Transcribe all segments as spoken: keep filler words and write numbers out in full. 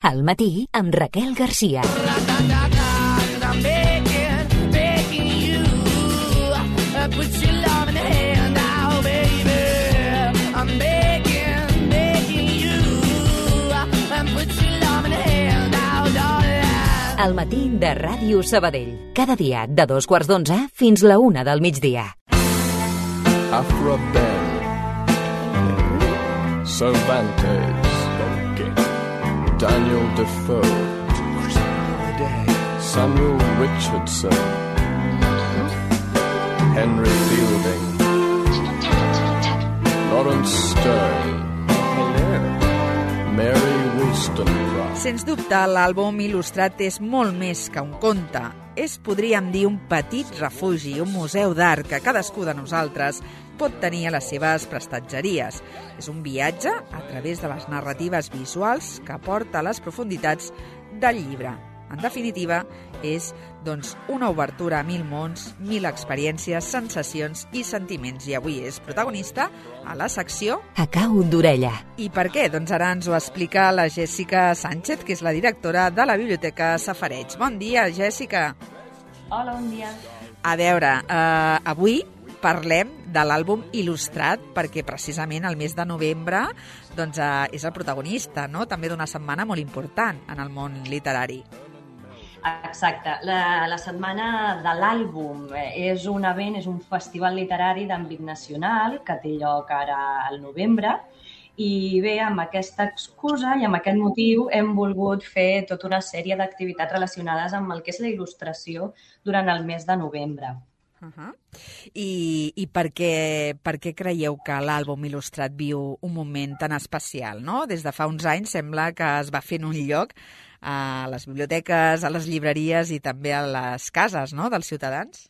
Al matí amb Raquel Garcia. Al matí de Ràdio Sabadell. Cada dia de dos quarts d'onze fins la una del migdia. Afro Ben, Cervantes, Daniel Defoe, Samuel Richardson, Henry Fielding, Lawrence Stern, Mary Wollstonecraft. Sens dubte, l'àlbum il·lustrat és molt més que un conte. És, podríem dir, un petit refugi, un museu d'art que cadascú de nosaltres pot tenir a les seves prestatgeries. És un viatge a través de les narratives visuals que porta a les profunditats del llibre. En definitiva, és doncs, una obertura a mil mons, mil experiències, sensacions i sentiments. I avui és protagonista a la secció A cau d'orella. I per què? Doncs ara ens ho explica la Jèssica Sánchez, que és la directora de la Biblioteca Safareig. Bon dia, Jèssica. Hola, bon dia. A veure, eh, avui parlem de l'àlbum il·lustrat perquè precisament el mes de novembre doncs, eh, és el protagonista, no? També d'una setmana molt important en el món literari. Exacte. La, la setmana de l'àlbum és un event, és un festival literari d'àmbit nacional que té lloc ara al novembre i bé, amb aquesta excusa i amb aquest motiu hem volgut fer tota una sèrie d'activitats relacionades amb el que és la il·lustració durant el mes de novembre. Uh-huh. I, i per, què, per què creieu que l'àlbum il·lustrat viu un moment tan especial, no? Des de fa uns anys sembla que es va fent un lloc a les biblioteques, a les llibreries i també a les cases, no?, dels ciutadans?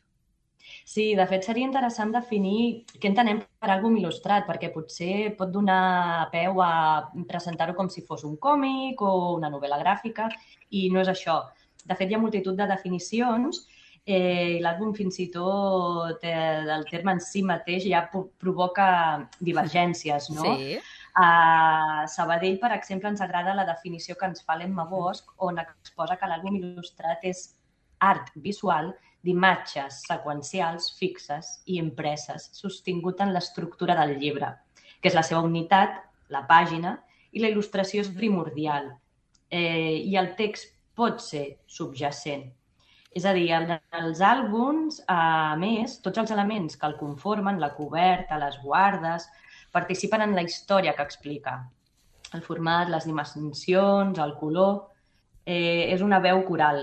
Sí, de fet seria interessant definir què entenem per àlbum il·lustrat, perquè potser pot donar peu a presentar-ho com si fos un còmic o una novel·la gràfica, i no és això. De fet, hi ha multitud de definicions eh, i l'àlbum fins i tot eh, del terme en si mateix ja provoca divergències, no? Sí. A Sabadell, per exemple, ens agrada la definició que ens fa l'Emma Bosch, on exposa que l'àlbum il·lustrat és art visual d'imatges seqüencials fixes i impreses, sostingut en l'estructura del llibre, que és la seva unitat, la pàgina, i la il·lustració és primordial. Eh, I el text pot ser subjacent. És a dir, en els àlbums, a més, tots els elements que el conformen, la coberta, les guardes, participen en la història que explica. El format, les dimensions, el color, eh, és una veu coral.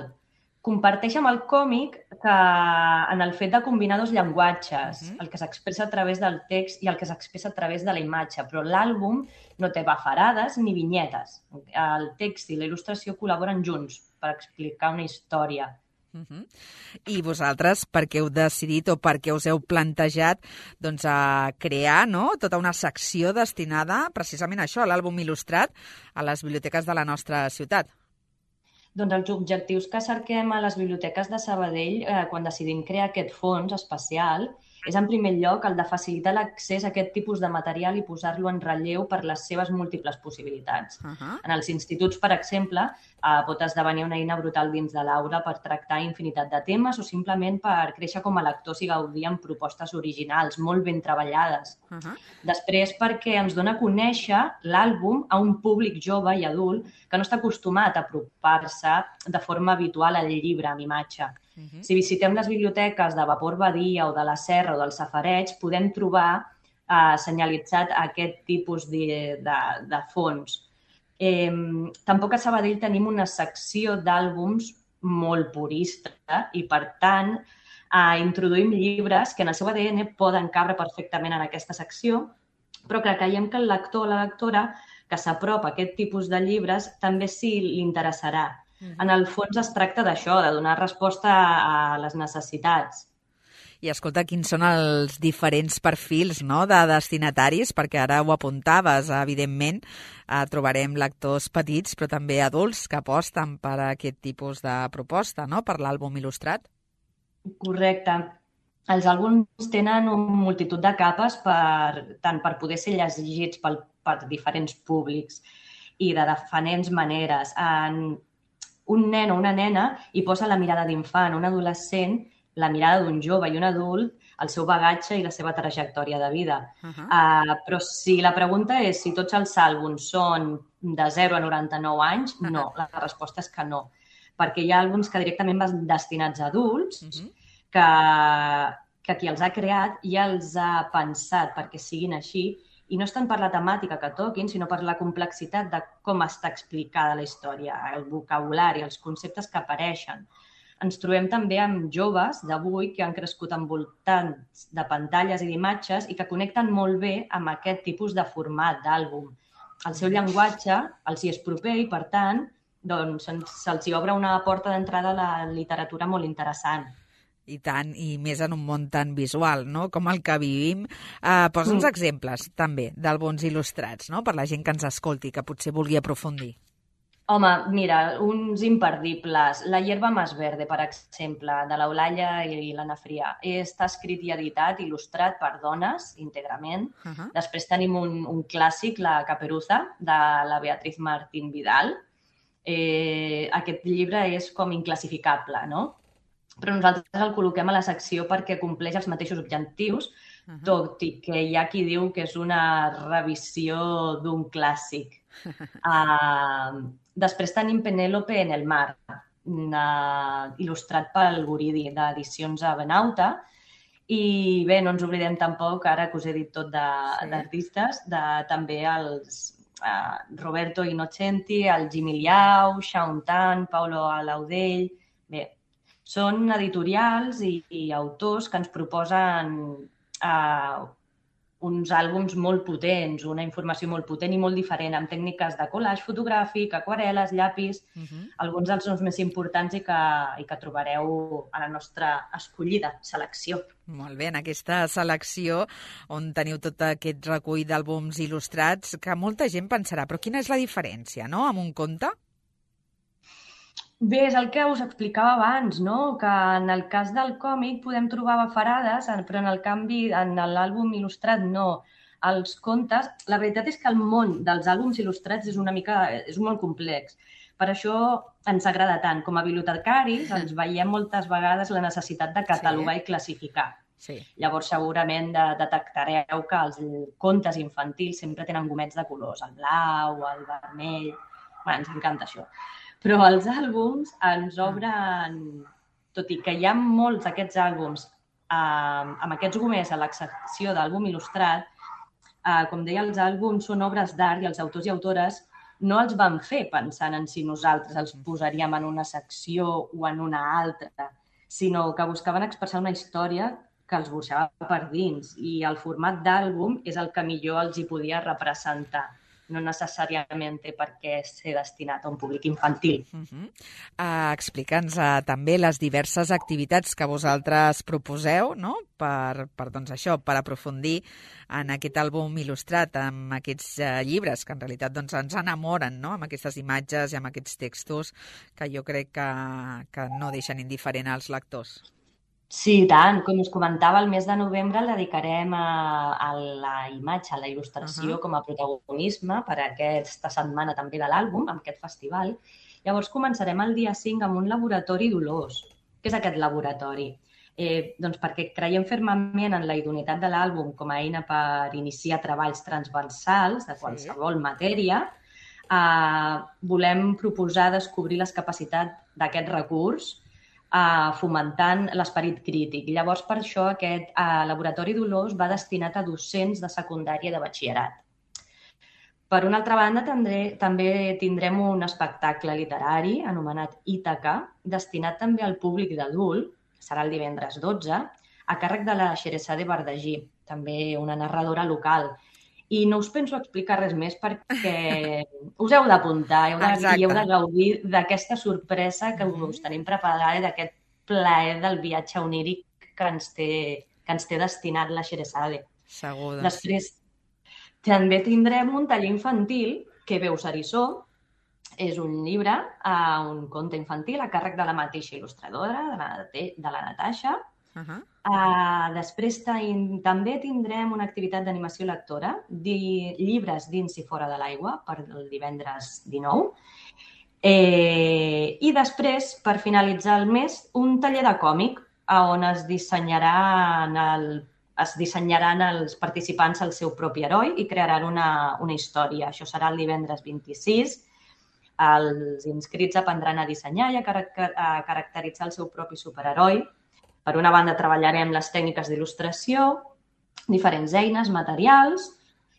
Comparteix amb el còmic que en el fet de combinar dos llenguatges, uh-huh. el que s'expressa a través del text i el que s'expressa a través de la imatge, però l'àlbum no té bafarades ni vinyetes. El text i la il·lustració col·laboren junts per explicar una història. Uh-huh. I vosaltres, per què heu decidit o per què us heu plantejat doncs, a crear no? tota una secció destinada precisament a això, a l'àlbum il·lustrat, a les biblioteques de la nostra ciutat? Doncs els objectius que cerquem a les biblioteques de Sabadell eh, quan decidim crear aquest fons especial és, en primer lloc, el de facilitar l'accés a aquest tipus de material i posar-lo en relleu per les seves múltiples possibilitats. Uh-huh. En els instituts, per exemple, eh, pot esdevenir una eina brutal dins de l'aula per tractar infinitat de temes o simplement per créixer com a lectors i gaudir amb propostes originals, molt ben treballades. Uh-huh. Després, perquè ens dona a conèixer l'àlbum a un públic jove i adult que no està acostumat a apropar-se de forma habitual al llibre amb imatge. Uh-huh. Si visitem les biblioteques de Vapor Badia o de la Serra o del Safareig, podem trobar eh, senyalitzat aquest tipus de, de, de fons. Eh, tampoc a Sabadell tenim una secció d'àlbums molt purista i, per tant, eh, introduïm llibres que en el seu A D N poden cabre perfectament en aquesta secció, però que creiem que el lector o la lectora que s'apropa a aquest tipus de llibres també sí li interessarà. En el fons es tracta d'això, de donar resposta a les necessitats. I escolta, quins són els diferents perfils no, de destinataris? Perquè ara ho apuntaves, evidentment, eh, trobarem lectors petits, però també adults que aposten per aquest tipus de proposta, no? Per l'àlbum il·lustrat. Correcte. Els àlbums tenen una multitud de capes per, tant per poder ser llegits per, per diferents públics. i de diferents maneres. En un nen o una nena hi posa la mirada d'infant, un adolescent, la mirada d'un jove i un adult, el seu bagatge i la seva trajectòria de vida. Uh-huh. Uh, però si la pregunta és si tots els àlbums són de zero a noranta-nou anys, uh-huh. no, la resposta és que no. Perquè hi ha àlbums que directament van destinats a adults, uh-huh. que, que qui els ha creat ja els ha pensat perquè siguin així, i no és tant per la temàtica que toquin, sinó per la complexitat de com està explicada la història, el vocabulari, els conceptes que apareixen. Ens trobem també amb joves d'avui que han crescut envoltants de pantalles i d'imatges i que connecten molt bé amb aquest tipus de format d'àlbum. El seu llenguatge els hi és proper i, per tant, doncs, se'ls hi obre una porta d'entrada a la literatura molt interessant. I tant, i més en un món tan visual, no?, com el que vivim. Uh, posa uns mm. exemples, també, d'àlbums il·lustrats, no?, per la gent que ens escolti, que potser vulgui aprofundir. Home, mira, uns imperdibles. La hierba más verde, per exemple, de l'Eulàlia i l'Anna Frià. Està escrit i editat, il·lustrat per dones, íntegrament. Uh-huh. Després tenim un, un clàssic, La Caperuza, de la Beatriz Martín Vidal. Eh, aquest llibre és com inclassificable, no? Però nosaltres el col·loquem a la secció perquè compleix els mateixos objectius, uh-huh. tot i que hi ha qui diu que és una revisió d'un clàssic. Uh, després tenim Penélope en el mar, uh, il·lustrat pel Guridi, d'Edicions Abenauta. I bé, no ens oblidem tampoc, ara que us he dit tot d'artistes, de, de, també els uh, Roberto Innocenti, el Jimmy Liao, Shaun Tan, Paulo Alaudell. Bé, són editorials i, i autors que ens proposen uh, uns àlbums molt potents, una informació molt potent i molt diferent, amb tècniques de collage fotogràfic, aquarel·les, llapis, uh-huh. alguns dels noms més importants i que, i que trobareu a la nostra escollida selecció. Molt bé, en aquesta selecció on teniu tot aquest recull d'àlbums il·lustrats, que molta gent pensarà, però quina és la diferència, no?, amb un conte? Bé, és el que us explicava abans, no? Que en el cas del còmic podem trobar bafarades, però en el canvi, en l'àlbum il·lustrat no. Els contes, la veritat és que el món dels àlbums il·lustrats és una mica, és molt complex. Per això ens agrada tant. Com a bibliotecaris ens veiem moltes vegades la necessitat de catalogar sí. i classificar. Sí. Llavors segurament de, detectareu que els contes infantils sempre tenen gomets de colors, el blau, el vermell... Bé, ens encanta això. Però els àlbums ens obren, tot i que hi ha molts d'aquests àlbums eh, amb aquests gomers a l'excepció d'àlbum il·lustrat, eh, com deia, els àlbums són obres d'art i els autors i autores no els van fer pensant en si nosaltres els posaríem en una secció o en una altra, sinó que buscaven expressar una història que els burxava per dins i el format d'àlbum és el que millor els hi podia representar. No necessàriament té per què ser destinat a un públic infantil. Uh-huh. uh, Explica'ns uh, també les diverses activitats que vosaltres proposeu, no?, per, per, doncs això, per aprofundir en aquest àlbum il·lustrat, amb aquests uh, llibres que en realitat doncs, ens enamoren, no?, amb aquestes imatges i amb aquests textos que jo crec que, que no deixen indiferent als lectors. Sí, tant. Com us comentava, el mes de novembre el dedicarem a, a la imatge, a la il·lustració uh-huh. com a protagonisme per a aquesta setmana també de l'àlbum, amb aquest festival. Llavors començarem el dia cinc amb un laboratori d'olors. Què és aquest laboratori? Eh, doncs perquè creiem fermament en la idoneïtat de l'àlbum com a eina per iniciar treballs transversals de qualsevol sí. matèria. Eh, volem proposar descobrir les capacitats d'aquest recurs Uh, fomentant l'esperit crític. Llavors, per això, aquest uh, laboratori d'olors va destinat a docents de secundària i de batxillerat. Per una altra banda, tindré, també tindrem un espectacle literari anomenat Ítaca, destinat també al públic d'adult, serà el divendres dotze, a càrrec de la Xeresade Bardagí, també una narradora local. I no us penso explicar res més perquè us heu d'apuntar, heu, de, heu de gaudir d'aquesta sorpresa que us tenim preparada i d'aquest plaer del viatge oníric que ens té, que ens té destinat la Xeresade. Segur. Després també tindrem un taller infantil que veu Sarissó. És un llibre, uh, un conte infantil a càrrec de la mateixa il·lustradora, de la, de la Natasha. Uh-huh. Uh, després ten, també tindrem una activitat d'animació lectora, di, llibres dins i fora de l'aigua, per el divendres dinou. Eh, I després, per finalitzar el mes, un taller de còmic on es dissenyaran, el, es dissenyaran els participants el seu propi heroi i crearan una, una història. Això serà el divendres vint-i-sis. Els inscrits aprendran a dissenyar i a, caracter, a caracteritzar el seu propi superheroi. Per una banda, treballarem les tècniques d'il·lustració, diferents eines, materials,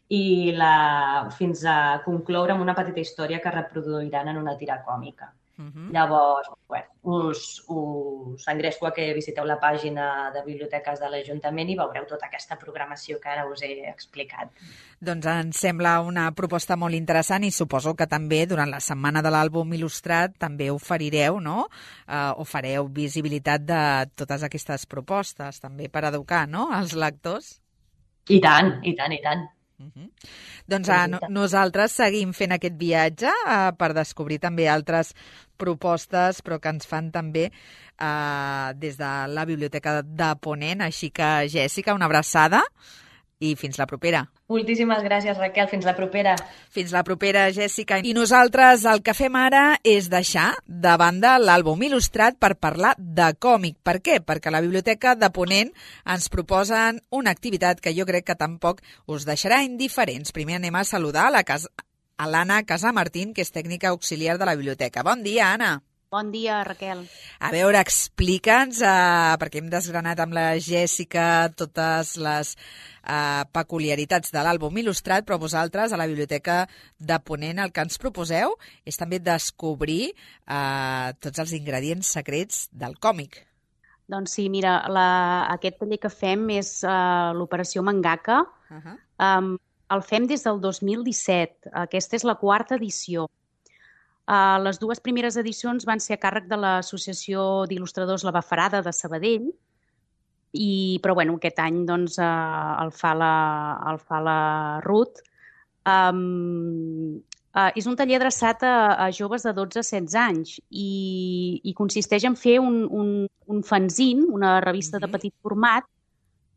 i la, fins a concloure amb una petita història que reproduiran en una tira còmica. Uh-huh. Llavors, bueno, us, us engresco a que visiteu la pàgina de biblioteques de l'Ajuntament i veureu tota aquesta programació que ara us he explicat. Doncs ens sembla una proposta molt interessant i suposo que també durant la setmana de l'àlbum il·lustrat també oferireu, no? Uh, o fareu visibilitat de totes aquestes propostes també per educar, no?, els lectors. I tant, i tant, i tant. Uh-huh. Doncs uh, no, nosaltres seguim fent aquest viatge uh, per descobrir també altres propostes, però que ens fan també uh, des de la Biblioteca de Ponent. Així que, Jèssica, una abraçada i fins la propera. Moltíssimes gràcies, Raquel. Fins la propera. Fins la propera, Jèssica. I nosaltres el que fem ara és deixar de banda l'àlbum il·lustrat per parlar de còmic. Per què? Perquè a la Biblioteca de Ponent ens proposen una activitat que jo crec que tampoc us deixarà indiferents. Primer anem a saludar a la casa, a l'Anna Casamartín, que és tècnica auxiliar de la biblioteca. Bon dia, Anna. Bon dia, Raquel. A veure, explica'ns, eh, perquè hem desgranat amb la Jèssica totes les eh, peculiaritats de l'àlbum il·lustrat, però vosaltres, a la Biblioteca de Ponent, el que ens proposeu és també descobrir eh, tots els ingredients secrets del còmic. Doncs sí, mira, la, aquest taller que fem és uh, l'Operació Mangaka. Uh-huh. Um, el fem des del dos mil disset. Aquesta és la quarta edició. Uh, les dues primeres edicions van ser a càrrec de l'Associació d'Il·lustradors La Bafarada de Sabadell, i, però bueno, aquest any doncs, uh, el, fa la, el fa la Ruth. Um, uh, és un taller adreçat a, a joves de dotze a setze anys i, i consisteix en fer un, un, un fanzine, una revista uh-huh. de petit format,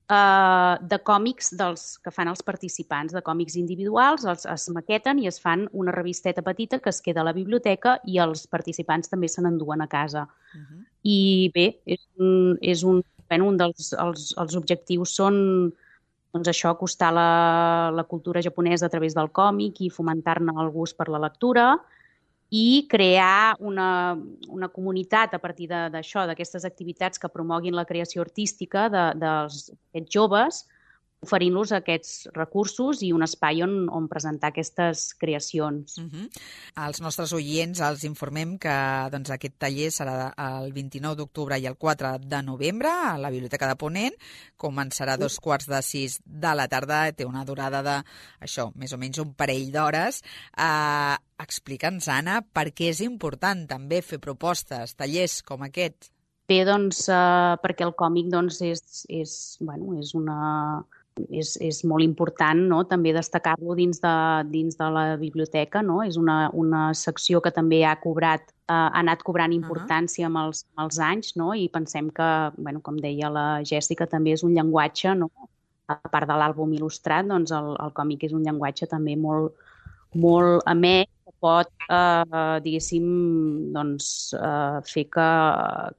Uh, de còmics dels que fan els participants, de còmics individuals, els, es maqueten i es fan una revisteta petita que es queda a la biblioteca i els participants també se n'enduen a casa. Uh-huh. I bé, és un, és un, bueno, un dels els, els objectius són doncs això, acostar la, la cultura japonesa a través del còmic i fomentar-ne el gust per la lectura i crear una, una comunitat a partir d'això, d'aquestes activitats que promoguin la creació artística de, dels aquests joves, oferint-los aquests recursos i un espai on, on presentar aquestes creacions. Uh-huh. Als nostres oients els informem que doncs, aquest taller serà el vint-i-nou d'octubre i el quatre de novembre a la Biblioteca de Ponent. Començarà a dos quarts de sis de la tarda, té una durada de, això, més o menys un parell d'hores. Uh, Explica'ns, Anna, per què és important també fer propostes, tallers com aquest? Bé, doncs, uh, perquè el còmic doncs, és, és, bueno, és una... És, és molt important, no?, també destacar-lo dins de, dins de la biblioteca, no? És una, una secció que també ha cobrat, eh, ha anat cobrant importància amb els, amb els anys, no? I pensem que, bueno, com deia la Jèssica, també és un llenguatge, no? A part de l'àlbum il·lustrat, doncs el, el còmic és un llenguatge també molt, molt amè, que pot, eh, diguéssim, doncs, eh, fer que,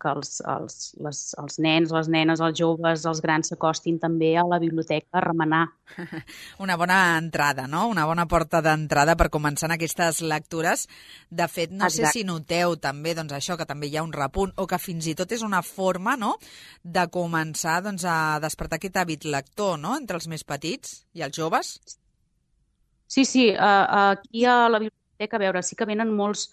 que els, els, les, els nens, les nenes, els joves, els grans s'acostin també a la biblioteca a remenar. Una bona entrada, no? Una bona porta d'entrada per començar en aquestes lectures. De fet, no Exacte. sé si noteu també doncs, això, que també hi ha un repunt o que fins i tot és una forma, no?, de començar doncs, a despertar aquest hàbit lector, no?, entre els més petits i els joves. Sí, sí, uh, aquí a la biblioteca, a veure, sí que venen molts,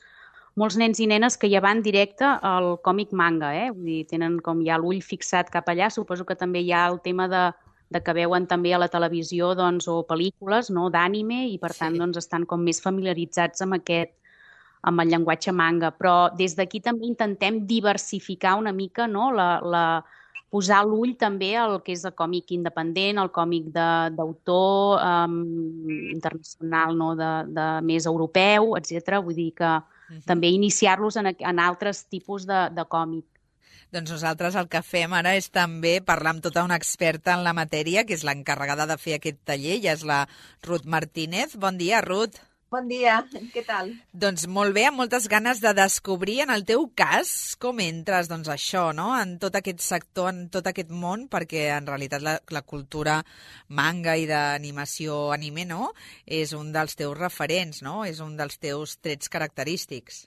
molts nens i nenes que ja van directe al còmic manga, eh? Vull dir, tenen com ja l'ull fixat cap allà. Suposo que també hi ha el tema de, de que veuen també a la televisió doncs, o pel·lícules, no?, d'ànime i per tant sí. doncs, estan com més familiaritzats amb aquest, amb el llenguatge manga. Però des d'aquí també intentem diversificar una mica, no?, la... la posar l'ull també al que és el còmic independent, el còmic d'autor um, internacional, no? de, de més europeu, etcètera. Vull dir que uh-huh. també iniciar-los en, en altres tipus de, de còmic. Doncs nosaltres el que fem ara és també parlar amb tota una experta en la matèria, que és l'encarregada de fer aquest taller, ja és la Ruth Martínez. Bon dia, Ruth. Bon dia, què tal? Doncs molt bé, amb moltes ganes de descobrir, en el teu cas, com entres, doncs això, no?, en tot aquest sector, en tot aquest món, perquè en realitat la, la cultura manga i d'animació anime, no?, és un dels teus referents, no?, és un dels teus trets característics.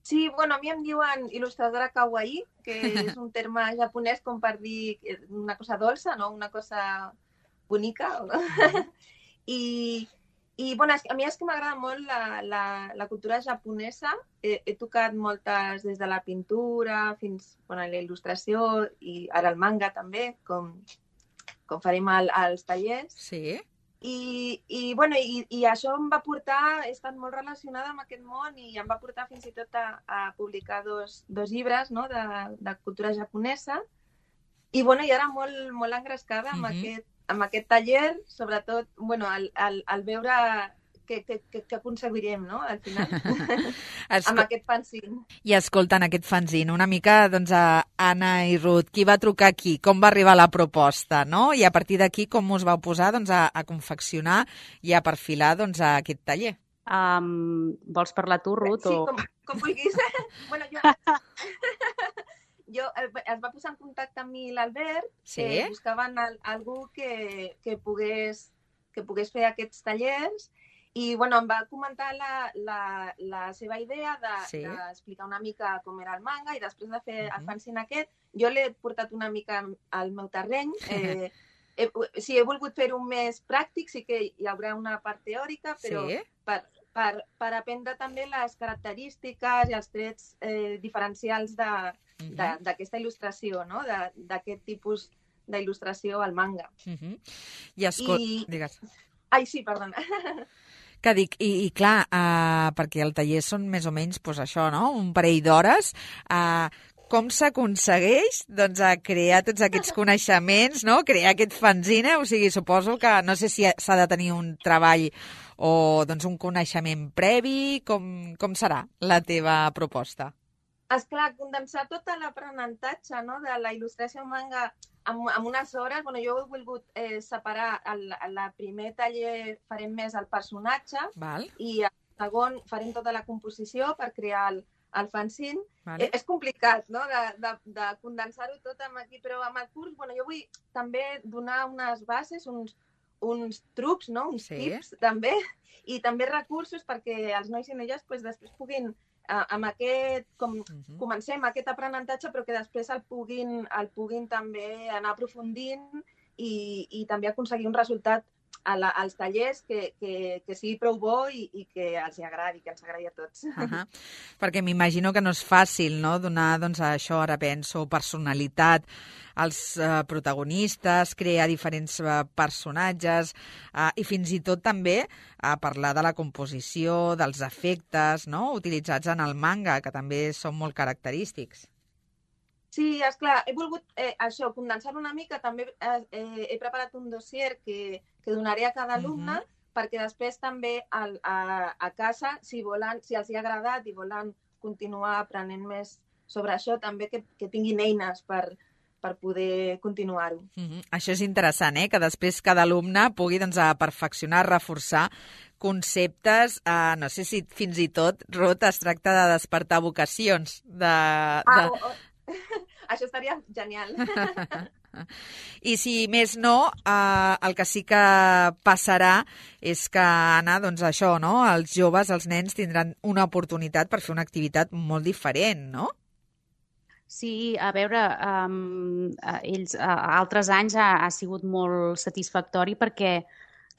Sí, bueno, a mi em diuen il·lustradora kawaii, que és un terme japonès com per dir una cosa dolça, no?, una cosa bonica. I... I bueno, a mi és que m'agrada molt la, la, la cultura japonesa. He, he tocat moltes des de la pintura fins bueno, a la il·lustració i ara el manga també, com, com farem al, als tallers. Sí. I, i, bueno, i, i això em va portar, he estat molt relacionada amb aquest món i em va portar fins i tot a, a publicar dos, dos llibres, no?, de, de cultura japonesa. I, bueno, i ara molt, molt engrescada amb, mm-hmm. aquest, amb aquest taller, sobretot, bueno, al, al, al veure què, què, què aconseguirem, no?, al final, Escol... amb aquest fanzine. I escolta, en aquest fanzine, una mica, doncs, a Anna i Ruth, qui va trucar aquí? Com va arribar la proposta, no? I a partir d'aquí, com us vau posar, doncs, a, a confeccionar i a perfilar, doncs, a aquest taller? Um, vols parlar tu, Ruth? Sí, o... com, com vulguis. bueno, jo... Jo, es va posar en contacte amb mi l'Albert, sí? eh, buscaven al, algú que, que, pogués, que pogués fer aquests tallers i bueno, em va comentar la, la, la seva idea d'explicar de, sí? una mica com era el manga i després de fer uh-huh. el fanzine aquest, jo l'he portat una mica al meu terreny. Eh, he, sí, he volgut fer-ho més pràctic, sí que hi haurà una part teòrica, però sí? per, per, per aprendre també les característiques i els trets eh, diferencials de d'aquesta il·lustració, no?, d'aquest tipus d'il·lustració al manga. Uh-huh. I escol... I... Digues. Ai, sí, perdona. Que dic, i, i clar, uh, perquè el taller són més o menys, doncs això, no?, un parell d'hores, uh, com s'aconsegueix, doncs, a crear tots aquests coneixements, no?, crear aquest fanzine? O sigui, suposo que, no sé si s'ha de tenir un treball o, doncs, un coneixement previ, com, com serà la teva proposta? Esclar, condensar tot l'aprenentatge, no?, de la il·lustració manga en, en unes hores. Bueno, jo he volgut eh, separar el, el primer taller farem més el personatge. Val. I el segon farem tota la composició per crear el, el fanzine. Vale. Eh, és complicat, no?, de, de, de condensar-ho tot amb aquí, però amb el curs, bueno, jo vull també donar unes bases, uns, uns trucs, no?, uns sí? tips també, i també recursos perquè els nois i noies pues, després puguin amb aquest, com uh-huh. comencem aquest aprenentatge, però que després el puguin, el puguin també anar aprofundint i, i també aconseguir un resultat a la, als tallers que, que, que sigui prou bo i, i que els agradi, que ens agradi a tots. Uh-huh. Perquè m'imagino que no és fàcil, no?, donar, doncs, això, ara penso, personalitat als uh, protagonistes, crear diferents uh, personatges uh, i fins i tot també uh, parlar de la composició, dels efectes, no?, utilitzats en el manga, que també són molt característics. Sí, esclar, he volgut eh, això, condensar una mica, també eh, eh, he preparat un dossier que, que donaré a cada alumne uh-huh. perquè després també al, a, a casa, si volen, si els hi ha agradat i volen continuar aprenent més sobre això, també que, que tinguin eines per, per poder continuar-ho. Uh-huh. Això és interessant, eh? Que després cada alumne pugui, doncs, a perfeccionar, reforçar conceptes, eh, no sé si fins i tot, Ruth, es tracta de despertar vocacions. De, de... Ah, oh, oh. Això estaria genial. I si més no, eh, el que sí que passarà és que, Anna, doncs això, no?, els joves, els nens tindran una oportunitat per fer una activitat molt diferent, no? Sí, a veure, um, ells, uh, altres anys ha, ha sigut molt satisfactori perquè,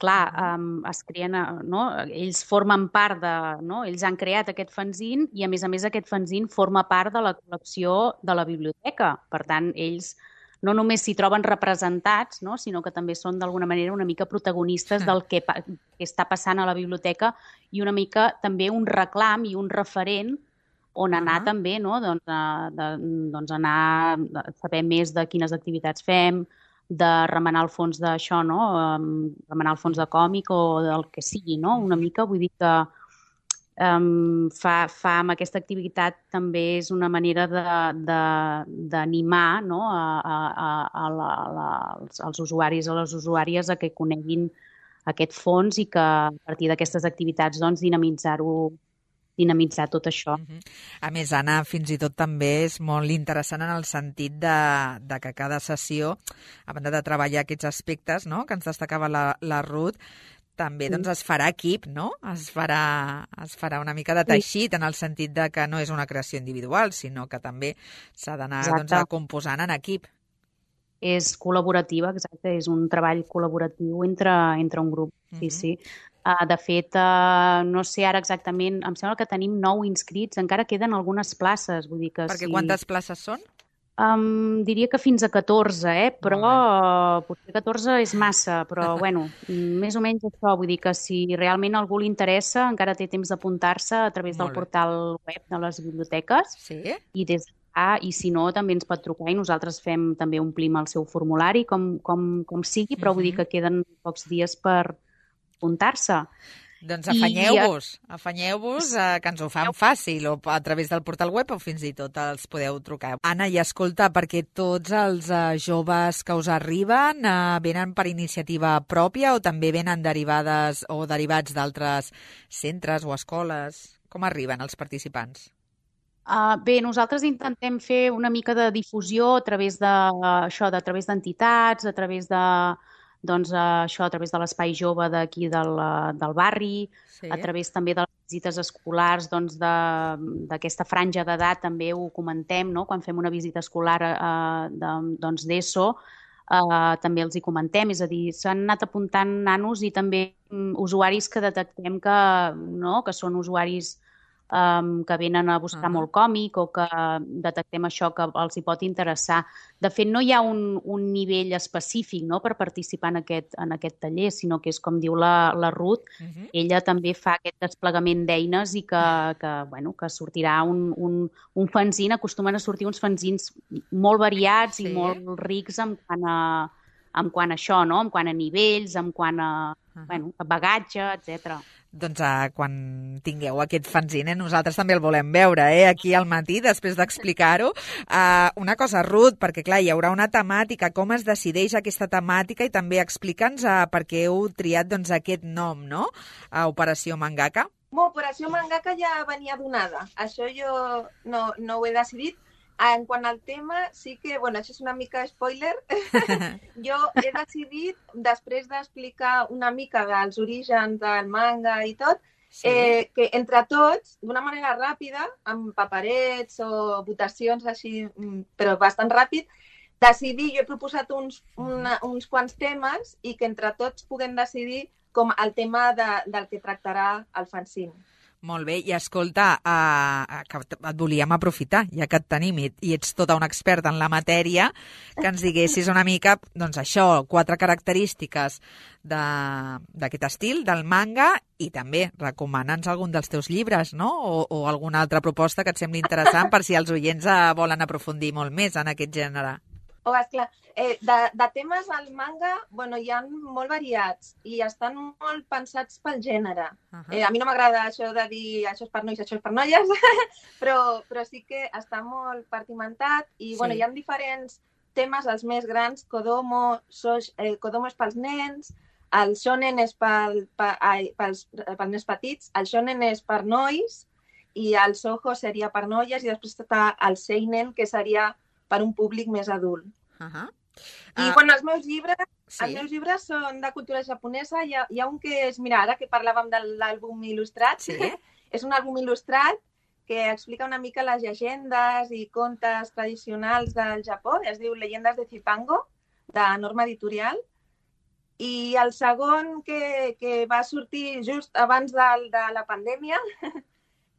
clar, um, es creen, no? Ells formen part de... No? Ells han creat aquest fanzine i, a més a més, aquest fanzine forma part de la col·lecció de la biblioteca. Per tant, ells no només s'hi troben representats, no? Sinó que també són, d'alguna manera, una mica protagonistes del que, que està passant a la biblioteca i una mica també un reclam i un referent on anar uh-huh. també, no? Doncs, de, doncs anar a saber més de quines activitats fem, de remenar el fons d'això, no? Um, remenar el fons de còmic o del que sigui, no? Una mica, vull dir que, um, fa, fa amb aquesta activitat també és una manera d'animar, no? a, a, a, a la, a la, als, als usuaris o les usuàries a que coneguin aquest fons i que a partir d'aquestes activitats doncs, dinamitzar-ho dinamitzar tot això. Uh-huh. A més, Anna, fins i tot també és molt interessant en el sentit de, de que cada sessió, a banda de treballar aquests aspectes, no?, que ens destacava la, la Ruth, també doncs, es farà equip, no? Es farà, es farà una mica de teixit en el sentit de que no és una creació individual, sinó que també s'ha d'anar doncs, composant en equip. És col·laborativa, exacte, és un treball col·laboratiu entre, entre un grup, sí, uh-huh. sí. Uh, de fet, uh, no sé ara exactament, em sembla que tenim nou inscrits, encara queden algunes places. Vull dir que Perquè si... quantes places són? Um, diria que fins a catorze, eh? Però uh, potser catorze és massa, però bueno, més o menys això. Vull dir que si realment algú li interessa, encara té temps d'apuntar-se a través del portal web de les biblioteques. Sí? I des Ah, i si no, també ens pot trucar i nosaltres fem també omplim el seu formulari, com, com, com sigui, però vull dir que queden pocs dies per apuntar-se. Doncs afanyeu-vos, afanyeu-vos, eh, que ens ho fan fàcil, o a través del portal web o fins i tot els podeu trucar. Anna, i escolta, perquè tots els eh, joves que us arriben eh, venen per iniciativa pròpia o també venen derivades o derivats d'altres centres o escoles? Com arriben els participants? Uh, bé, nosaltres intentem fer una mica de difusió a través de uh, això, de, a través d'entitats, a través de, doncs, uh, això, a través de l'espai jove d'aquí del, uh, del barri, sí. A través també de les visites escolars, doncs, d'aquesta franja d'edat també ho comentem, no? Quan fem una visita escolar uh, de, doncs, d'ESO, uh, també els hi comentem, és a dir, s'han anat apuntant nanos i també um, usuaris que detectem que, no? Que són usuaris Um, que venen a buscar uh-huh. molt còmic o que detectem això que els hi pot interessar. De fet, no hi ha un, un nivell específic, no?, per participar en aquest, en aquest taller, sinó que és com diu la, la Ruth, uh-huh. ella també fa aquest desplegament d'eines i que, que, bueno, que sortirà un, un, un fanzine, acostumen a sortir uns fanzins molt variats sí. i molt rics en quant a, en quant a això, no?, en quant a nivells, en quant a, uh-huh. bueno, a bagatge, etcètera. Doncs uh, quan tingueu aquest fanzine, nosaltres també el volem veure, eh? Aquí al matí, després d'explicar-ho. Uh, una cosa, Ruth, perquè clar, hi haurà una temàtica, com es decideix aquesta temàtica i també explica'ns uh, per què heu triat doncs, aquest nom, no? Uh, Operació Mangaka. Bueno, Operació Mangaka ja venia donada. Això jo no, no ho he decidit. En quant al tema, sí que, bueno, això és una mica spoiler, jo he decidit, després d'explicar una mica dels orígens del manga i tot, sí. eh, que entre tots, d'una manera ràpida, amb paperets o votacions així, però bastant ràpid, decidir, jo he proposat uns, una, uns quants temes i que entre tots puguem decidir com el tema de, del que tractarà el fanzine. Molt bé, i escolta, uh, que et volíem aprofitar, ja que et tenim i, i ets tota una experta en la matèria, que ens diguessis una mica, doncs això, quatre característiques d'aquest estil, del manga, i també recomana'ns algun dels teus llibres, no? O, o alguna altra proposta que et sembli interessant per si els oients uh, volen aprofundir molt més en aquest gènere. Oh, esclar. Eh, de, de temes al manga, bueno, hi ha molt variats i estan molt pensats pel gènere. Uh-huh. Eh, a mi no m'agrada això de dir això és per nois, això és per noies, però, però sí que està molt partimentat i sí. Bueno, hi ha diferents temes, els més grans, Kodomo, Soj, eh, Kodomo és pels nens, el shonen és pel, pel, ai, pels, pels nens petits, el shonen és per nois i el soho seria per noies i després està el seinen, que seria per un públic més adult. Uh-huh. I, uh, bueno, els meus llibres, sí. els meus llibres són de cultura japonesa. Hi ha, hi ha un que és, mira, ara que parlàvem de l'àlbum il·lustrat, sí. és un àlbum il·lustrat que explica una mica les llegendes i contes tradicionals del Japó. Es diu Leyendas de Zipango, de Norma Editorial. I el segon que, que va sortir just abans de, de la pandèmia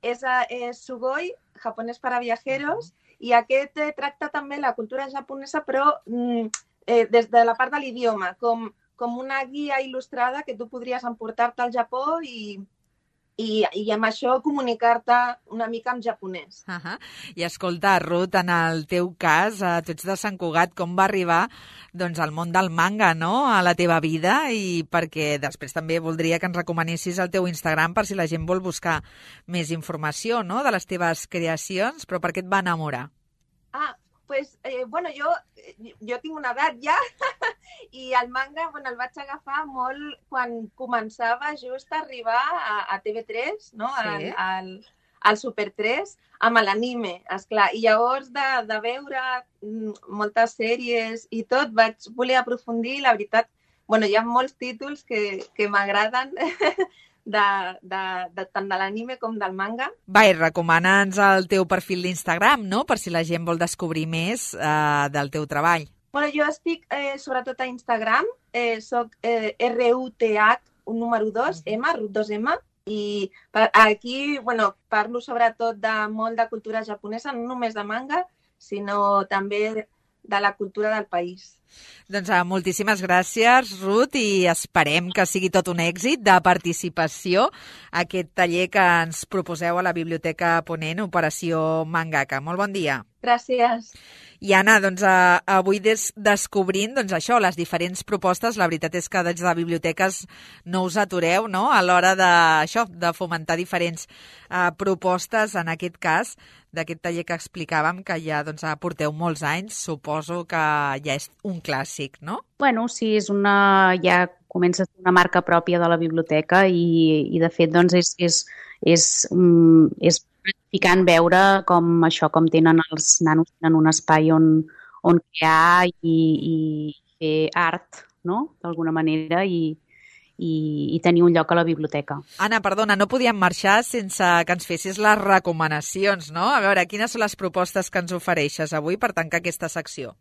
és, és Sugoi, japonès para viajeros, uh-huh. i aquest eh, tracta també la cultura japonesa, però mm, eh, des de la part de l'idioma, com, com una guia il·lustrada que tu podries emportar-te al Japó i, i, i amb això comunicar-te una mica en japonès. Uh -huh. I escolta, Ruth, en el teu cas, eh, tu ets de Sant Cugat, com va arribar doncs, al món del manga, no?, a la teva vida, i perquè després també voldria que ens recomanessis el teu Instagram per si la gent vol buscar més informació, no?, de les teves creacions, però per què et va enamorar? Ah, pues, eh, bueno, jo, jo tinc una edat ja i el manga, bueno, el vaig agafar molt quan començava just a arribar a, a T V tres, no? Sí. Al, al, al Super tres, amb l'anime, esclar. I llavors de, de veure moltes sèries i tot, vaig voler aprofundir i la veritat, bueno, hi ha molts títols que, que m'agraden de, de, de, tant de l'anime com del manga. Va, i recomana'ns el teu perfil d'Instagram, no?, per si la gent vol descobrir més eh, del teu treball. Bueno, jo estic eh, sobretot a Instagram, eh, soc eh, R U T H, un número dos, M, Ruth dos M, i per, aquí, bueno, parlo sobretot de molt de cultura japonesa, no només de manga, sinó també de la cultura del país. Doncs uh, moltíssimes gràcies, Ruth, i esperem que sigui tot un èxit de participació a aquest taller que ens proposeu a la Biblioteca Ponent, Operació Mangaka. Molt bon dia. Gràcies. I Anna, doncs, uh, avui des descobrint doncs, això, les diferents propostes, la veritat és que des de biblioteques no us atureu, no?, a l'hora de, això, de fomentar diferents uh, propostes, en aquest cas, d'aquest taller que explicàvem, que ja doncs, porteu molts anys, suposo que ja és un clàssic, no? Bueno, sí, és una, ja comença a ser una marca pròpia de la biblioteca i, i de fet, doncs, és, és, és, um, és gratificant veure com això, com tenen els nanos en un espai on, on crear i, i fer art, no?, d'alguna manera, i, i, i tenir un lloc a la biblioteca. Anna, perdona, no podíem marxar sense que ens fessis les recomanacions, no? A veure, quines són les propostes que ens ofereixes avui per tancar aquesta secció?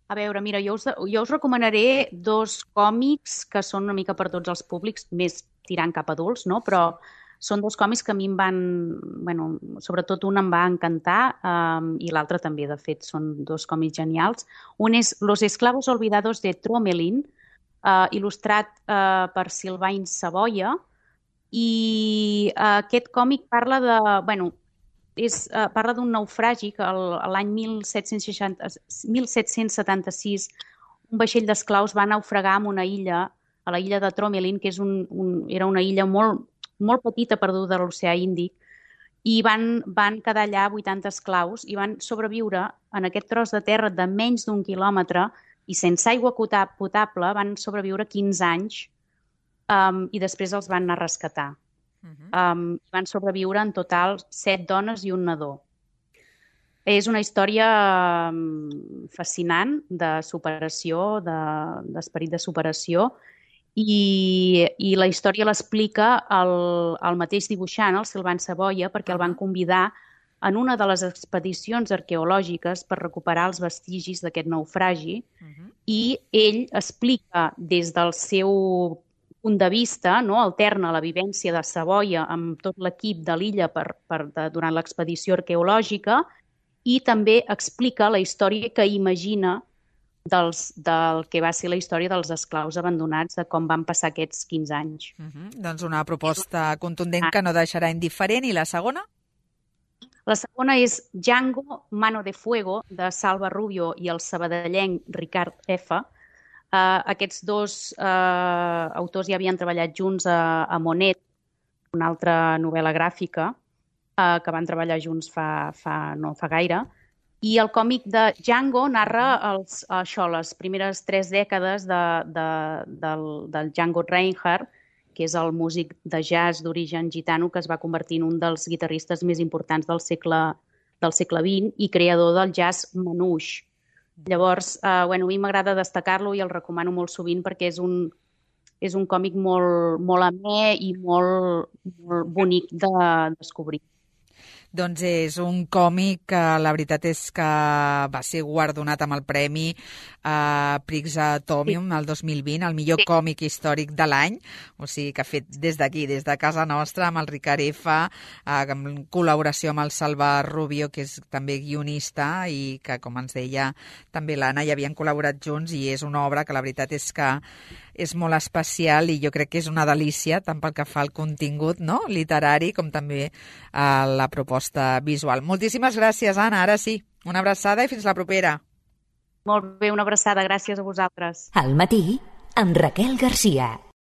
A veure, mira, jo us, jo us recomanaré dos còmics que són una mica per tots els públics, més tirant cap a adults, no?, però són dos còmics que a mi em van, bueno, sobretot un em va encantar um, i l'altre també, de fet, són dos còmics genials. Un és Los esclavos olvidados de Tromelin, uh, il·lustrat uh, per Sylvain Savoia, i uh, aquest còmic parla de, bueno, és, uh, parla d'un naufragi que l'any mil set-cents setanta-sis un vaixell d'esclaus va naufragar en una illa, a la illa de Tromelin, que és un, un, era una illa molt molt petita perduda a l'oceà Índic, i van, van quedar allà vuitanta esclaus i van sobreviure en aquest tros de terra de menys d'un quilòmetre i sense aigua potable van sobreviure quinze anys um, i després els van anar a rescatar. Uh-huh. um, van sobreviure en total set dones i un nadó. És una història um, fascinant de superació, d'esperit de, de superació, I, i la història l'explica el, el mateix dibuixant, el Sylvain Savoia, perquè el van convidar en una de les expedicions arqueològiques per recuperar els vestigis d'aquest naufragi, uh-huh. i ell explica des del seu punt de vista, no, alterna la vivència de Savoia amb tot l'equip de l'illa per, per, de, durant l'expedició arqueològica, i també explica la història que imagina Dels, del que va ser la història dels esclaus abandonats, de com van passar aquests quinze anys. Uh-huh. Doncs una proposta contundent que no deixarà indiferent. I la segona? La segona és Django, Mano de Fuego, de Salva Rubio i el sabadellenc Ricard F. Uh, aquests dos uh, autors ja havien treballat junts a, a Monet, una altra novel·la gràfica, uh, que van treballar junts fa, fa, no fa gaire. I el còmic de Django narra els, això, les primeres tres dècades de, de, del, del Django Reinhardt, que és el músic de jazz d'origen gitano que es va convertir en un dels guitarristes més importants del segle, del segle vint i creador del jazz manouche. Llavors, eh, bueno, a mi m'agrada destacar-lo i el recomano molt sovint perquè és un, és un còmic molt, molt amè i molt, molt bonic de descobrir. Doncs és un còmic que la veritat és que va ser guardonat amb el premi uh, Prix Atomium sí. el dos mil vint, el millor sí. còmic històric de l'any, o sigui que ha fet des d'aquí, des de casa nostra, amb el Ricard F, uh, en col·laboració amb el Salva Rubio, que és també guionista i que, com ens deia també l'Anna, ja havien col·laborat junts i és una obra que la veritat és que és molt especial i jo crec que és una delícia, tant pel que fa al contingut, no?, literari, com també a la proposta visual. Moltíssimes gràcies, Anna. Ara sí, una abraçada i fins la propera. Molt bé, una abraçada. Gràcies a vosaltres. Al matí, amb Raquel Garcia.